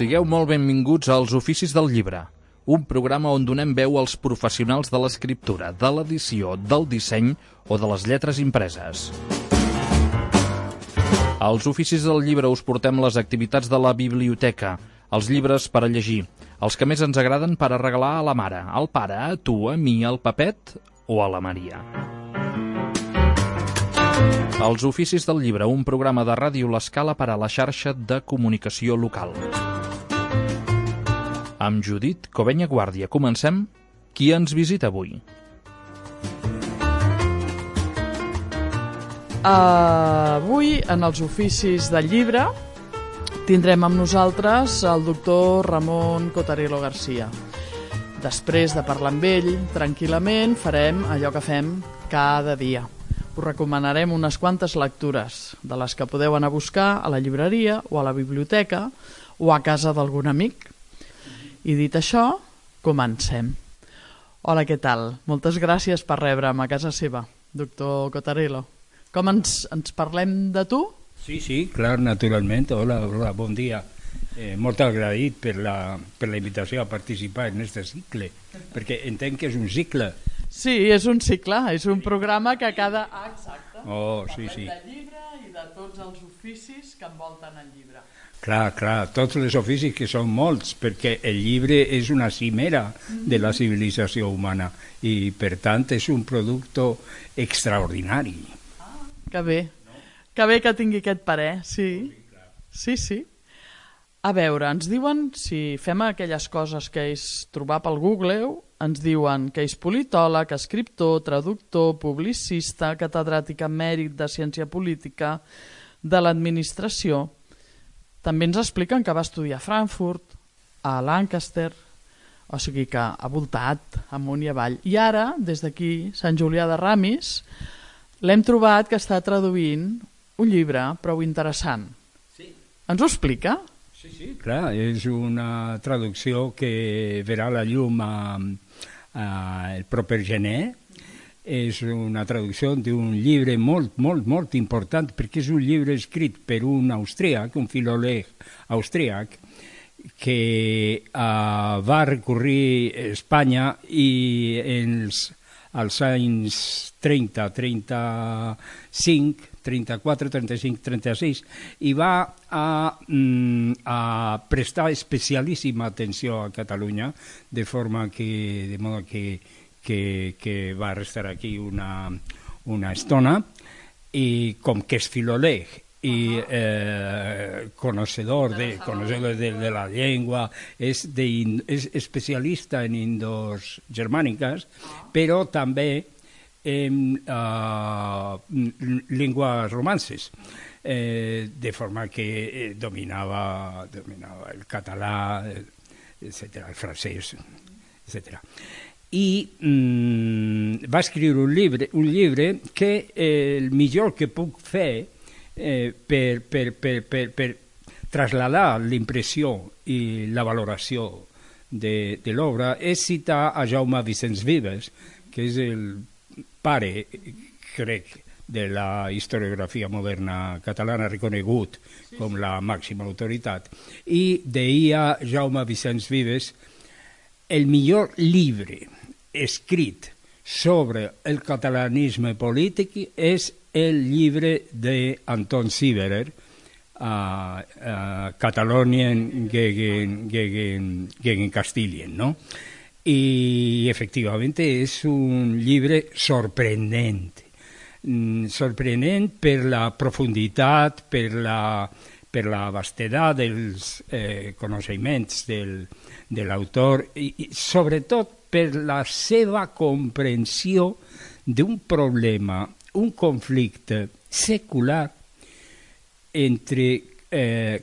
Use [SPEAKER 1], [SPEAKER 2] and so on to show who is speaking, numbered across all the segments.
[SPEAKER 1] Sigueu molt benvinguts als Oficis del Llibre, un programa on donem veu als professionals de l'escriptura, de l'edició, del disseny o de les lletres impreses. Als Oficis del Llibre us portem les activitats de la biblioteca, els llibres per a llegir, els que més ens agraden per a regalar a la mare, al pare, a tu, a mi, al Pepet o a la Maria. Els Oficis del Llibre, un programa de Ràdio L'Escala per a la xarxa de comunicació local. Amb Judit Covenya Guàrdia comencem. Qui ens visita avui?
[SPEAKER 2] Avui, en els Oficis del Llibre, tindrem amb nosaltres el doctor Ramon Cotarelo Garcia. Després de parlar amb ell, tranquil·lament, farem allò que fem cada dia. Us recomanarem unes quantes lectures, de les que podeu anar a buscar a la llibreria o a la biblioteca o a casa d'algun amic. I dit això, comencem. Hola, què tal? Moltes gràcies per rebre'm a casa seva, doctor Cotarelo. Com ens parlem de tu?
[SPEAKER 3] Sí, clar, naturalment. Hola, bon dia. Molt agraït per la invitació a participar en aquest cicle, perquè entenc que és un cicle.
[SPEAKER 2] Sí, és un cicle, és un programa que cada... exacte.
[SPEAKER 3] Sí.
[SPEAKER 2] Parlem de llibre i de tots els oficis que envolten el llibre.
[SPEAKER 3] Clar, tots els oficis que són molts, perquè el llibre és una cimera de la civilització humana i, per tant, és un producte extraordinari.
[SPEAKER 2] Que bé que tingui aquest parer, sí. A veure, ens diuen, si fem aquelles coses que és trobar pel Google, ens diuen que és politòleg, escriptor, traductor, publicista, catedràtic emèrit de ciència política, de l'administració. També ens expliquen que va estudiar a Frankfurt, a Lancaster, o sigui que ha voltat amunt i avall. I ara, des d'aquí, Sant Julià de Ramis, l'hem trobat que està traduint un llibre prou interessant.
[SPEAKER 3] Sí.
[SPEAKER 2] Ens ho explica?
[SPEAKER 3] Sí, clar, és una traducció que verà la llum el proper gener. És una traducció d'un llibre molt important, perquè és un llibre escrit per un austríac, un filòleg austríac, que va recórrer Espanya i als anys 30, 35, 34, 35, 36, i va a prestar especialíssima atenció a Catalunya, de modo que va restar aquí una estona, i com que és filòleg i conocedor de la llengua, és especialista en indos germàniques, però també en llengües romances, de forma que dominava el català, etc., el francès, etc. I va escriure un llibre que el millor que puc fer per traslladar l'impressió i la valoració de l'obra és citar a Jaume Vicens Vives, que és el pare, crec, de la historiografia moderna catalana, reconegut com la màxima autoritat. I deia Jaume Vicens Vives: el millor llibre escrit sobre el catalanisme polític és el llibre d'Anton Sieberer, Catalonien gegen Castilien, no? I efectivament és un llibre sorprenent per la profunditat, per la vastedat dels coneixements de l'autor i sobretot per la seva comprensió d'un problema, un conflicte secular entre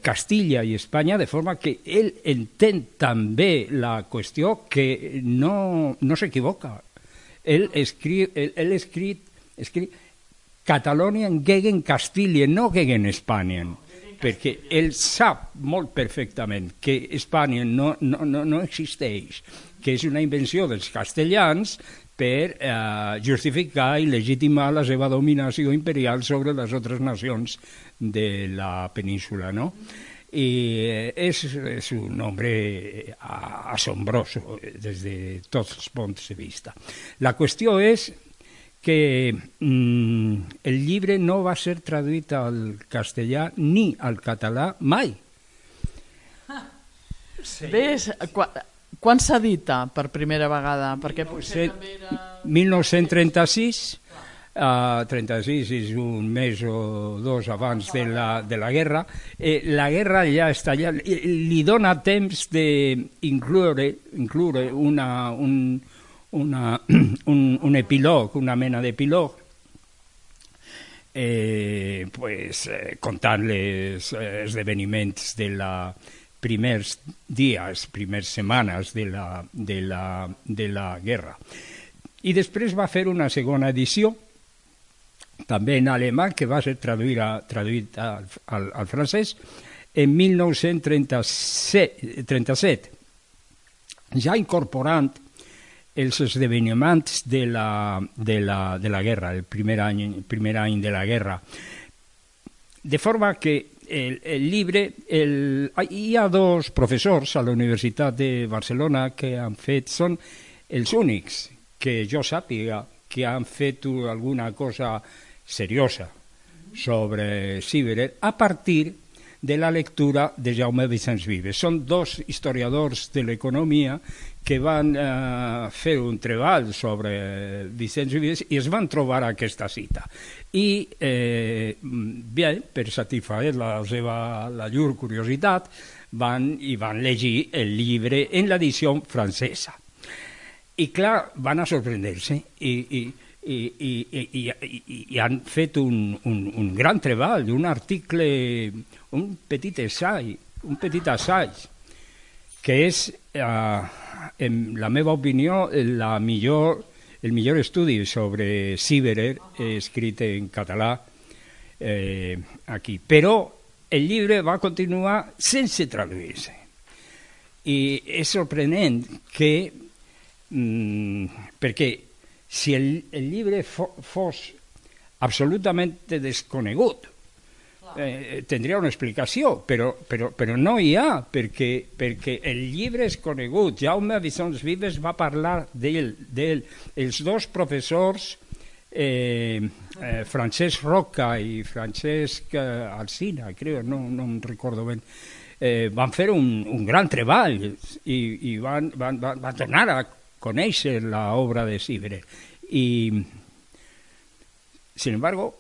[SPEAKER 3] Castilla i Espanya, de forma que ell entén també la qüestió, que no s'equivoca. Ell escrit Catalonien gegen Castilien, no gegen Spanien, perquè ell sap molt perfectament que Espanya no existeix, que és una invenció dels castellans per justificar i legitimar la seva dominació imperial sobre les altres nacions de la península, no? y es un hombre asombroso desde todos los puntos de vista. La qüestió és que el llibre no va ser traduït al castellà ni al català mai.
[SPEAKER 2] Ves, quan s'edita per primera vegada? Perquè potser també era...
[SPEAKER 3] 1936, 36 és un mes o dos abans de la guerra. La guerra ja està allà, li dona temps d'incloure un epílog, una mena d'epílog, contant els esdeveniments de la primers dies, primers setmanes de la guerra. I després va fer una segona edició, també en alemany, que va ser traduït al francès en 1937, ja incorporant els esdeveniments de la guerra, el primer any de la guerra. De forma que el llibre... Hi ha dos professors a la Universitat de Barcelona que han fet... Són els únics que jo sàpiga que han fet alguna cosa seriosa sobre Síverer a partir de la lectura de Jaume Vicens Vives. Són dos historiadors de l'economia que van fer un treball sobre Vicens Vives i es van trobar aquesta cita. I, bé, per satisfer la llur curiositat, van llegir el llibre en l'edició francesa. I, clar, van a sorprendre-se i han fet un gran treball, un article, un petit assaig, que és, en la meva opinió, el millor estudi sobre Síverer escrit en català aquí. Però el llibre va continuar sense traduir-se. I és sorprenent que, perquè si el llibre fos absolutament desconegut, tindria una explicació, però no hi ha, perquè el llibre és conegut. Jaume Vicens Vives va parlar dels dos professors, Francesc Roca i Francesc Alsina, crec, no em recordo ben, van fer un gran treball i van tornar a conèixer l'obra de Síverer. Y, sin embargo,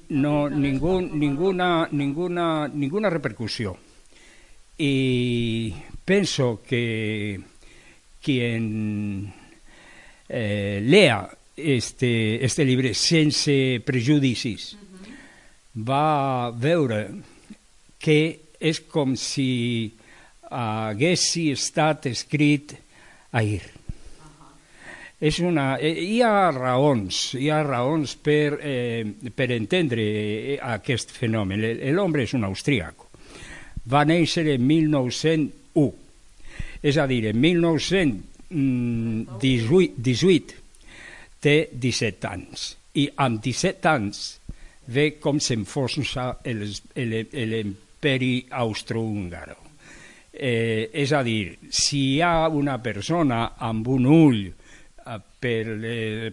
[SPEAKER 3] no ninguna repercusión. Y pienso que quien lea este llibre sense prejudicis va veure que és com si hagués estat escrit ahir. Hi ha raons per entendre aquest fenomen. L'home és un austríac. Va néixer en 1901, és a dir, en 1918 té 17 anys. I amb 17 anys ve com s'enfonsa l'imperi austrohúngaro. És a dir, si hi ha una persona amb un ull per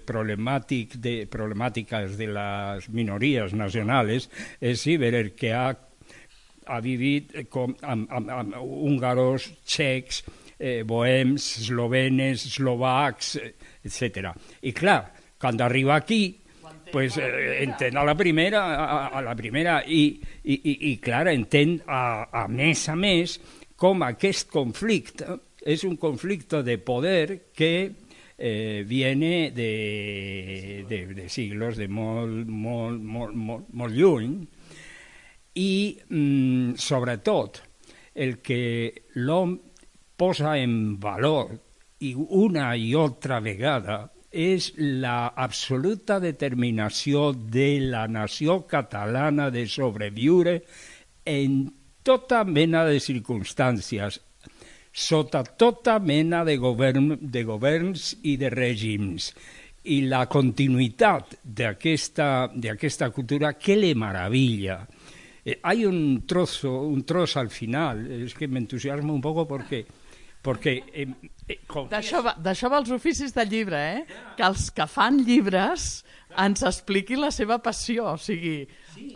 [SPEAKER 3] problemàtiques de les minories nacionals, és Síverer, que ha vivit amb húngaros, txecs, bohems, eslovenes, eslovacs, etc. I clar, quan arriba aquí, entén a la primera i clar, entén a més com aquest conflicte és un conflicte de poder que viene de siglos, de molt lluny, i sobretot el que l'home posa en valor i una i altra vegada és l'absoluta determinació de la nació catalana de sobreviure en tota mena de circumstàncies, sota tota mena de governs i de règims. I la continuïtat d'aquesta cultura, que le meravella, Hay un trozo al final, es que me entusiasma un poco porque
[SPEAKER 2] D'això va els oficis de llibre, que els que fan llibres ens expliquin la seva passió, o sigui,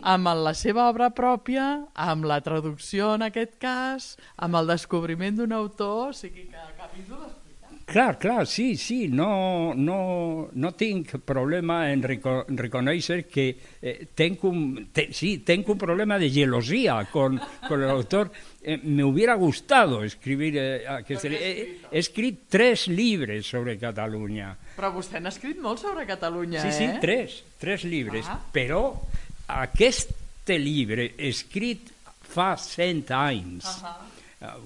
[SPEAKER 2] amb la seva obra pròpia, amb la traducció en aquest cas, amb el descobriment d'un autor, o sigui, que capítol explicat.
[SPEAKER 3] Clar, sí, no tinc problema en reconèixer que tenc un problema de gelosia con el autor. Me hubiera gustado escribir he escrit 3 llibres sobre Catalunya.
[SPEAKER 2] Però vostè n'ha escrit molt sobre Catalunya,
[SPEAKER 3] Sí, 3 llibres, però aquest llibre escrit fa 100 anys,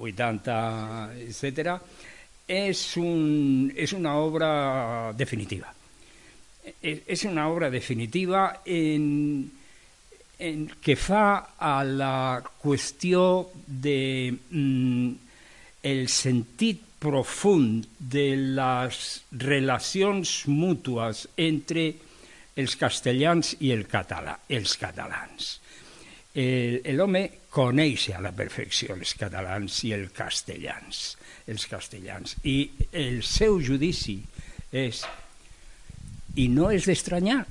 [SPEAKER 3] 80, etcètera, es una obra definitiva. Es una obra definitiva en que fa a la qüestió de el sentit profund de les relacions mútues entre els castellans i els catalans. L'home coneix a la perfecció els catalans i els castellans, i el seu judici és, i no és d'estranyar,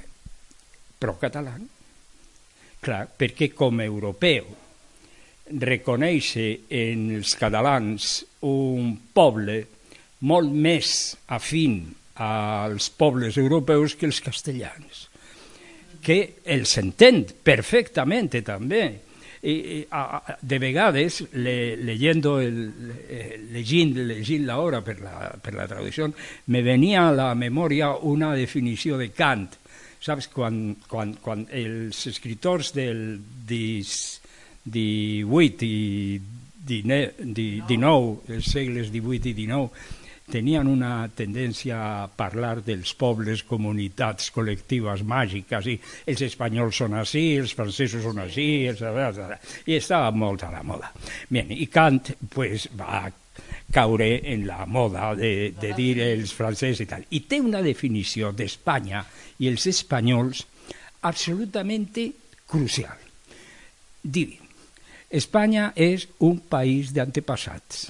[SPEAKER 3] pro-català. Clar, perquè com a europeu reconeix en els catalans un poble molt més afín als pobles europeus que els castellans, que els entén perfectament també. De vegades, llegint l'obra per la traducció, me venia a la memòria una definició de Kant. Saps, quan els escriptors del 18 i 19, els segles 18 i 19, tenien una tendència a parlar dels pobles, comunitats col·lectives màgiques, i els espanyols són així, els francesos són així, i estava molt a la moda. Bien, i Kant va caure en la moda de dir els francesos i tal. I té una definició d'Espanya i els espanyols absolutament crucial. Diu, Espanya és un país d'antepassats.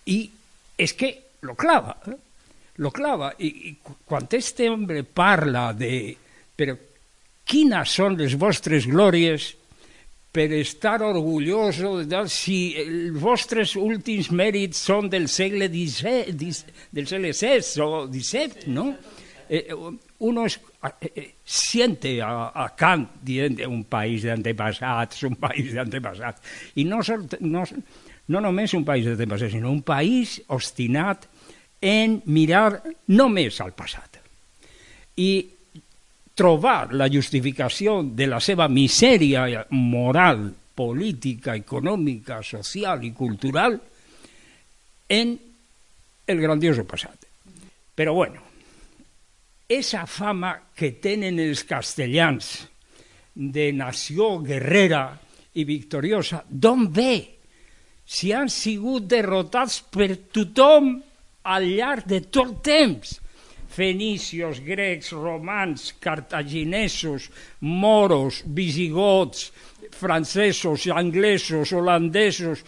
[SPEAKER 3] I és que lo clava. I quan este home parla de però quines són les vostres glòries per estar orgulloso si els vostres últims mèrits són del segle XVI o XVII, ¿no? Uno siente a Kant dient un país d'antepassats, i no només un país d'antepassats, sinó un país obstinat en mirar només al passat i trobar la justificació de la seva misèria moral, política, econòmica, social i cultural en el grandioso passat. Però bueno, esa fama que tenen els castellans de nació guerrera i victoriosa, d'on ve? Si han sigut derrotats per tothom al llarg de tot el temps. Fenicios, grecs, romans, cartaginesos, moros, visigots, francesos, anglesos, holandesos.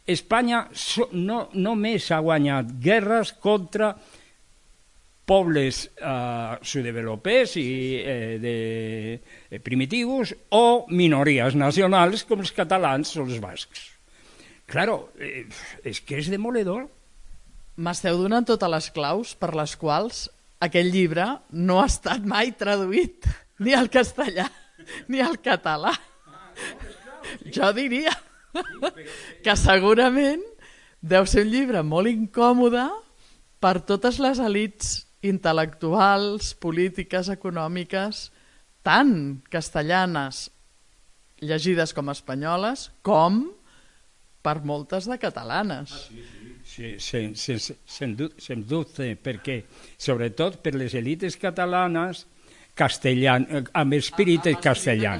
[SPEAKER 3] Espanya no només ha guanyat guerres contra pobles subdevelopats i primitius o minories nacionals com els catalans o els bascs. Claro, és que és demoledor.
[SPEAKER 2] M'esteu donant totes les claus per les quals aquest llibre no ha estat mai traduït ni al castellà ni al català. Jo diria que segurament deu ser un llibre molt incòmode per totes les elits intel·lectuals, polítiques, econòmiques, tant castellanes llegides com espanyoles, com per moltes de catalanes.
[SPEAKER 3] Sí, sens dubte, perquè sobretot per les elites catalanes amb espírit castellà.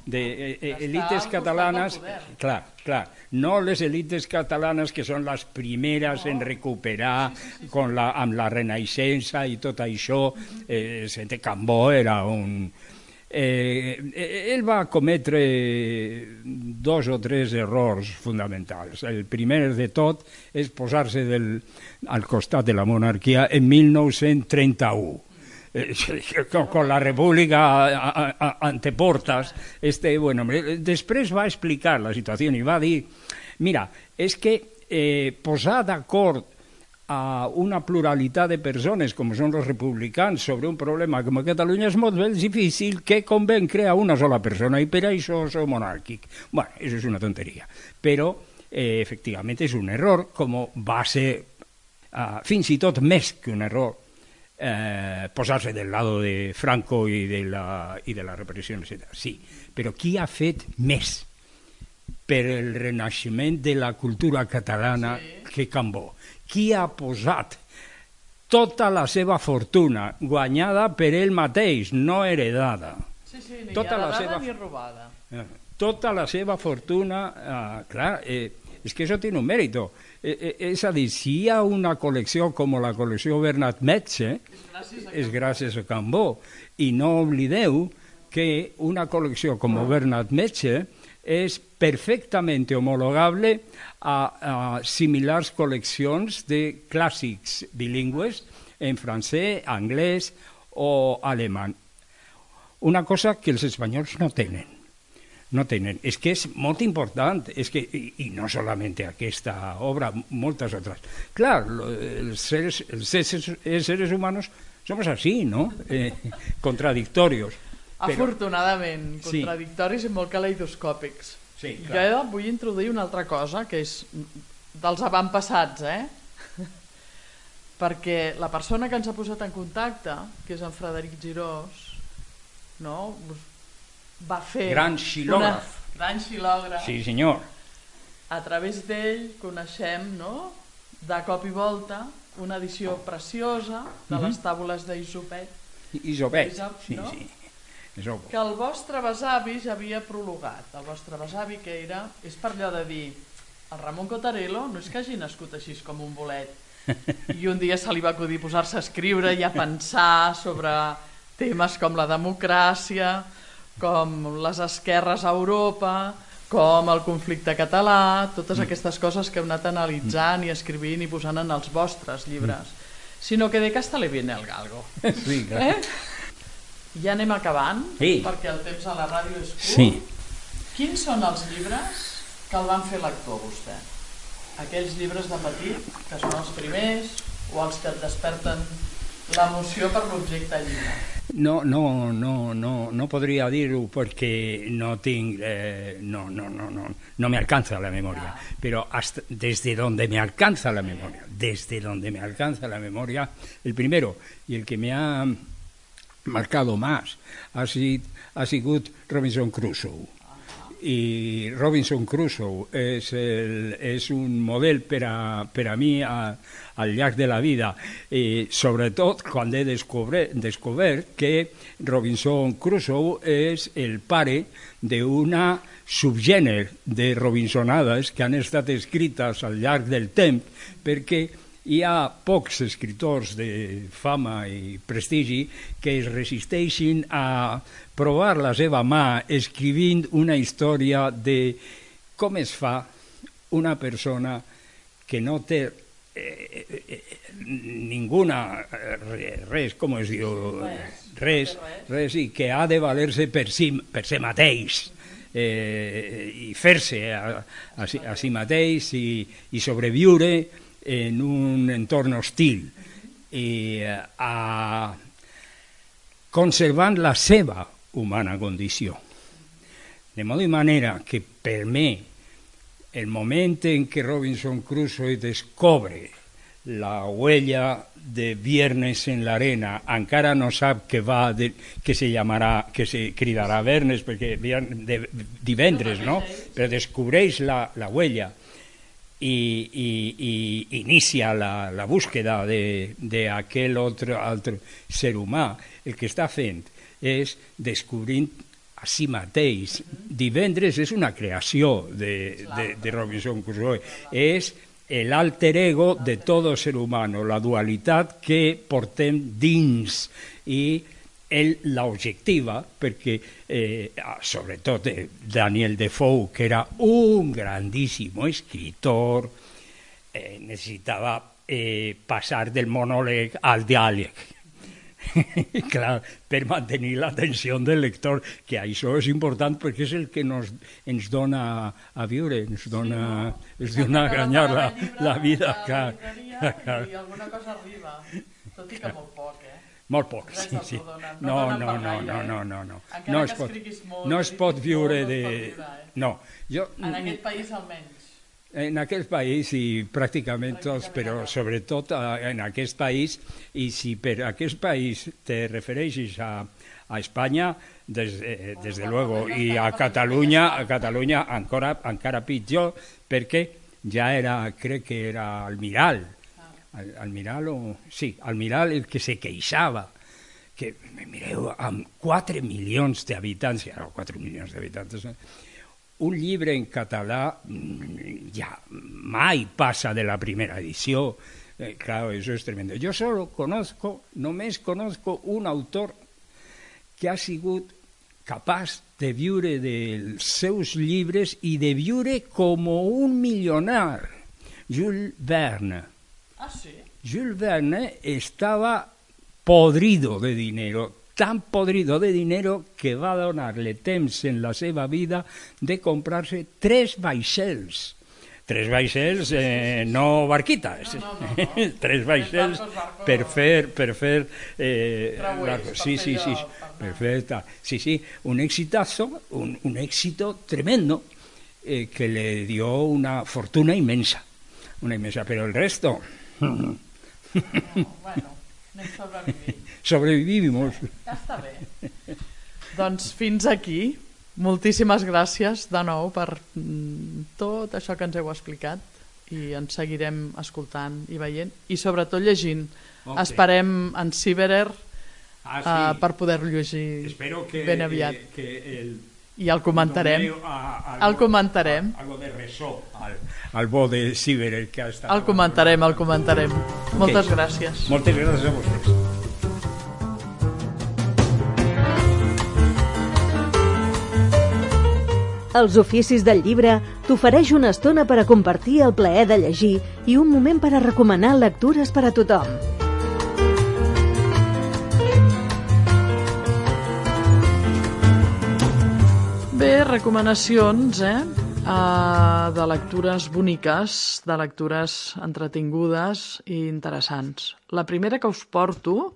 [SPEAKER 3] Elites catalanes, clar, no les elites catalanes que són les primeres en recuperar amb la Renaixença i tot això. Cambó era ell va cometre 2 o 3 errors fonamentals. El primer de tot és posar-se al costat de la monarquia en 1931. Con la república ante portas. Bueno, després va explicar la situació i va dir, mira, és que posar d'acord a una pluralitat de persones com són els republicans sobre un problema com a Catalunya és molt més difícil que convaincre a una sola persona i per això sou monàrquic. Bueno, això és una tonteria, però efectivament és un error, com va ser fins i tot més que un error posar-se del lado de Franco i de la repressió, etc. Sí, però qui ha fet més per el renaixement de la cultura catalana que Cambó? Qui ha posat tota la seva fortuna guanyada per ell mateix, no heredada?
[SPEAKER 2] Sí, ni heredada ni robada.
[SPEAKER 3] Tota la seva fortuna, clar, és que això té un mèrit. És a dir, si hi ha una col·lecció com la col·lecció Bernat Metge, és gràcies a Cambó. I no oblideu que una col·lecció com Bernat Metge és perfectament homologable a similars col·leccions de clàssics bilingües en francès, anglès o alemany. Una cosa que els espanyols no tenen. És que és molt important, i no solament aquesta obra, moltes altres. Clar, els seres humanos somos así, ¿no? Contradictorios.
[SPEAKER 2] Afortunadament, contradictoris i molt caleidoscòpics.
[SPEAKER 3] Sí,
[SPEAKER 2] jo vull introduir una altra cosa, que és dels avantpassats, perquè la persona que ens ha posat en contacte, que és en Frederic Girós, no? Va fer...
[SPEAKER 3] Gran xilògraf.
[SPEAKER 2] Gran xilògraf.
[SPEAKER 3] Sí, senyor.
[SPEAKER 2] A través d'ell coneixem, no?, de cop i volta, una edició preciosa de les tàbules d'Isopet.
[SPEAKER 3] Isopet, sí.
[SPEAKER 2] Que el vostre besavi ja havia prologat. El vostre besavi, que era... És per allò de dir, el Ramon Cotarello no és que hagi nascut així com un bolet. I un dia se li va acudir posar-se a escriure i a pensar sobre temes com la democràcia, com les esquerres a Europa, com el conflicte català, totes aquestes coses que heu anat analitzant i escrivint i posant en els vostres llibres. Sino que de casta le viene el galgo.
[SPEAKER 3] Sí, clar.
[SPEAKER 2] Ja anem acabant, perquè el temps a la ràdio és curt. Quins són els llibres que el van fer lector, vostè? Aquells llibres de petit, que són els primers, o els que et desperten l'emoció per l'objecte llibre?
[SPEAKER 3] No podria dir-ho perquè no tinc, no me alcanza la memoria, però desde donde me alcanza la memoria, el primero y el que me ha marcado más ha sigut Robinson Crusoe. I Robinson Crusoe és un model per a mi al llarg de la vida, sobretot quan he descobert que Robinson Crusoe és el pare d'una subgènere de Robinsonades que han estat escrites al llarg del temps, perquè hi ha pocs escriptors de fama i prestigi que es resisteixin a provar la seva mà escrivint una història de com es fa una persona que no té res i que ha de valer-se per si mateix i fer-se a si mateix i sobreviure en un entorn hostil i conservant la seva humana condició. De modo i manera que per mi el moment en què Robinson Crusoe descobre la huella de Viernes en l'arena, encara no sap que se cridarà Vernes perquè divendres, no? Però descobreix la huella i inicia la búsqueda d'aquell altre ser humà. El que està fent és descobrint a si mateix. Divendres és una creació de Robinson Crusoe, és l'alter ego de tot ser humano, la dualitat que portem dins i ell l'objectiva perquè, sobretot Daniel Defoe, que era un grandíssim escritor, necessitava passar del monòleg al diàleg. Clar, per mantenir l'atenció del lector, que això és important perquè és el que ens dona a viure, ens dona a guanyar la vida.
[SPEAKER 2] I alguna cosa arriba, tot i que molt poc,
[SPEAKER 3] Molt poc, sí. No es pot viure de... No, jo...
[SPEAKER 2] En aquest país almenys.
[SPEAKER 3] En aquest país i pràcticament tots, però sobretot en aquest país, i si per aquest país te refereixes a Espanya, desde luego, i a Catalunya encara pitjor, perquè ja era, crec que era Almiral, Almiral el que se queixava, que, mireu, amb 4 milions d'habitants, 4 milions d'habitants, un llibre en català ja mai passa de la primera edició. Claro, eso es tremendo. Yo només conozco un autor que ha sigut capaç de viure dels seus llibres i de viure com un milionar, Jules Verne.
[SPEAKER 2] Ah, sí?
[SPEAKER 3] Jules Verne estava podrido de dinero, tan podrido de dinero que va donar-le temps en la seva vida de comprar-se 3 vaixells. 3 vaixells, no barquitas,
[SPEAKER 2] no.
[SPEAKER 3] 3 vaixells per fer
[SPEAKER 2] sí,
[SPEAKER 3] perfecta. Sí, un exitazo, un éxito tremendo que le dio una fortuna inmensa, pero el resto...
[SPEAKER 2] Bueno, anem sobrevivint.
[SPEAKER 3] Sobrevivimos.
[SPEAKER 2] Ja està bé. Doncs fins aquí. Moltíssimes gràcies de nou per tot això que ens heu explicat i ens seguirem escoltant i veient i sobretot llegint. Okay. Esperem en Ciberer per poder-lo llegir ben aviat. I el comentarem. El comentarem.
[SPEAKER 3] Algo de ressò al bo de Ciberer que ha estat.
[SPEAKER 2] El comentarem. Moltes gràcies.
[SPEAKER 3] Moltes gràcies a vostès.
[SPEAKER 4] Els oficis del llibre t'ofereix una estona per a compartir el plaer de llegir i un moment per a recomanar lectures per a tothom.
[SPEAKER 2] Bé, recomanacions, de lectures boniques, de lectures entretingudes i interessants. La primera que us porto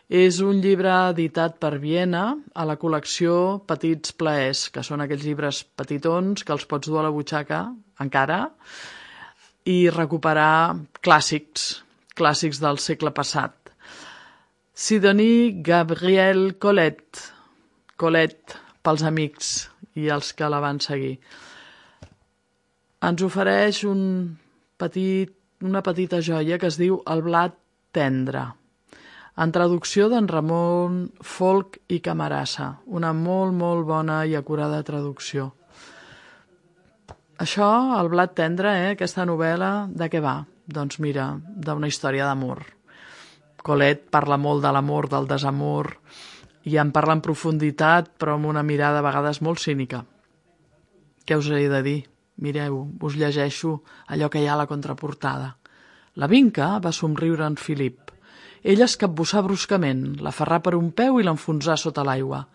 [SPEAKER 2] és un llibre editat per Viena a la col·lecció Petits plaers, que són aquells llibres petitons que els pots dur a la butxaca, encara, i recuperar clàssics del segle passat. Sidonie Gabrielle Colette pels amics i els que la van seguir. Ens ofereix una petita joia que es diu El blat tendre, en traducció d'en Ramon Folch i Camarasa, una molt bona i acurada traducció. Això, El blat tendre, aquesta novel·la, de què va? Doncs mira, d'una història d'amor. Colette parla molt de l'amor, del desamor, i en parla en profunditat, però amb una mirada a vegades molt cínica. Què us he de dir? Mireu, us llegeixo allò que hi ha a la contraportada. La Vinca va somriure en Philip. Ell es capbussà bruscament, l'aferrà per un peu i l'enfonsà sota l'aigua.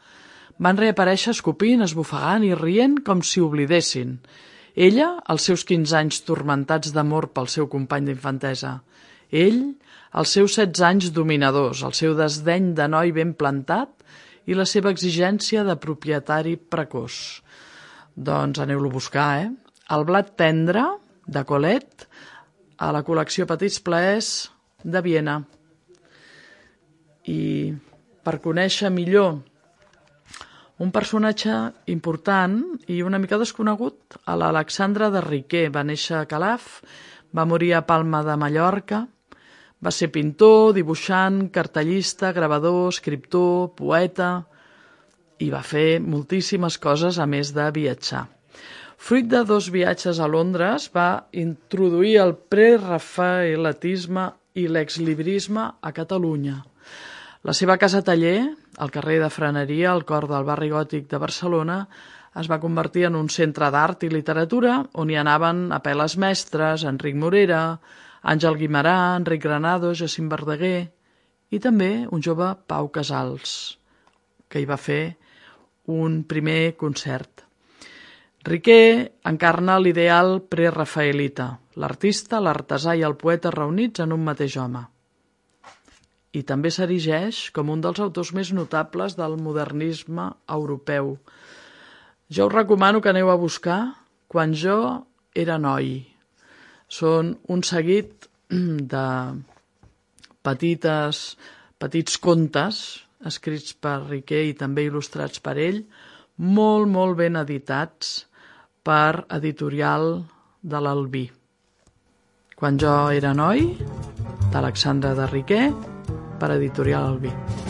[SPEAKER 2] Van reaparèixer escopint, esbufegant i rient com si oblidessin. Ella, els seus 15 anys turmentats d'amor pel seu company d'infantesa. Ell, els seus 16 anys dominadors, el seu desdeny de noi ben plantat i la seva exigència de propietari precoç. Doncs aneu-lo a buscar, El blat tendre, de Colette, a la col·lecció Petits plaers de Viena. I per conèixer millor un personatge important i una mica desconegut, l'Alexandre de Riquer. Va néixer a Calaf, va morir a Palma de Mallorca, va ser pintor, dibuixant, cartellista, gravador, escriptor, poeta i va fer moltíssimes coses a més de viatjar. Fruit de 2 viatges a Londres, va introduir el prerafaelatisme i l'exlibrisme a Catalunya. La seva casa taller, al carrer de Freneria, al cor del barri gòtic de Barcelona, es va convertir en un centre d'art i literatura on hi anaven Apel·les Mestres, Enric Morera, Àngel Guimerà, Enric Granados, Jacint Verdaguer i també un jove Pau Casals, que hi va fer un primer concert. Riquer encarna l'ideal prerafaelita, l'artista, l'artesà i el poeta reunits en un mateix home. I també s'erigeix com un dels autors més notables del modernisme europeu. Jo us recomano que aneu a buscar Quan jo era noi. Són un seguit de petits contes escrits per Riquer i també il·lustrats per ell, molt, molt ben editats per Editorial de l'Albí. Quan jo era noi, d'Alexandre de Riquer, per Editorial Albí.